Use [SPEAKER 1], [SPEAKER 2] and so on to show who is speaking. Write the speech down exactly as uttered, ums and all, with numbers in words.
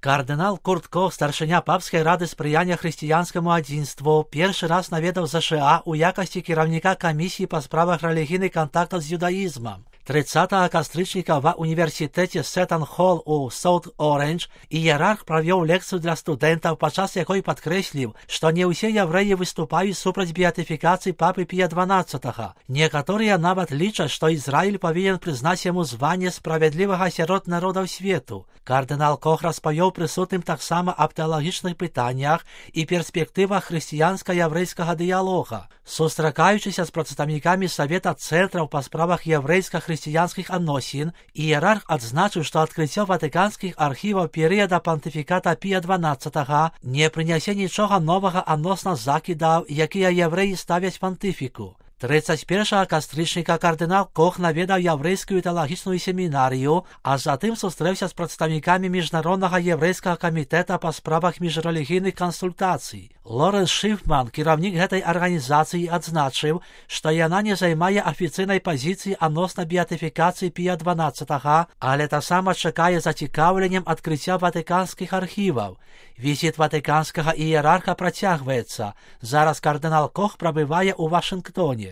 [SPEAKER 1] Кардинал Курт Кох, старшыня папскай рады спрыяння хрысціянскаму адзінству, першы раз наведаў ЗША ў якасці кіраўніка камісіі па справах рэлігійных кантактаў з юдаізмам. тридцатого кастрычніка ва універсітэце Сеттон-Холл у Саут-Орэндж іерарх правёў лекцыю для студэнтаў, падчас якой падкрэсліў, што не ўсе яврэі выступаюць супраць беатыфікацыі папы Пія дванаццатага. Некаторыя нават лічаць, што Ізраіль павінен прызнаць яму званне справядлівага сярод народаў свету. Кардынал Кох распавёў прысутным таксама аб тэалагічных пытаннях і перспектывах хрысціянска-яврэйскага дыялога. Сустракаючыся з прадстаўнікамі Савета цэнтраў па справах яврэйска-хрысціянскіх адносін, іерарх адзначыў, што адкрыццё ватыканскіх архіваў перыяда пантыфіката Пія дванаццатага не прынясе нічога новага адносна закідаў, якія яврэі ставяць пантыфіку. тридцать першага кастрычніка кардынал Кох наведаў яврэйскую тэалагічную семінарыю, а затым сустрэўся з прадстаўнікамі міжнароднага яврэйскага камітэта па справах міжрэлігійных кансультацый. Лоренс Шыфман, кіраўнік гэтай арганізацыі, адзначыў, што яна не займае афіцыйнай пазіцыі адносна беатыфікацыі Пія дванаццатага, але таксама чакае зацікаўленнем адкрыцця ватыканскіх архіваў. Візіт ватыканскага іерарха працягваецца. Зараз кардынал Кох прабывае ў Вашынгтоне.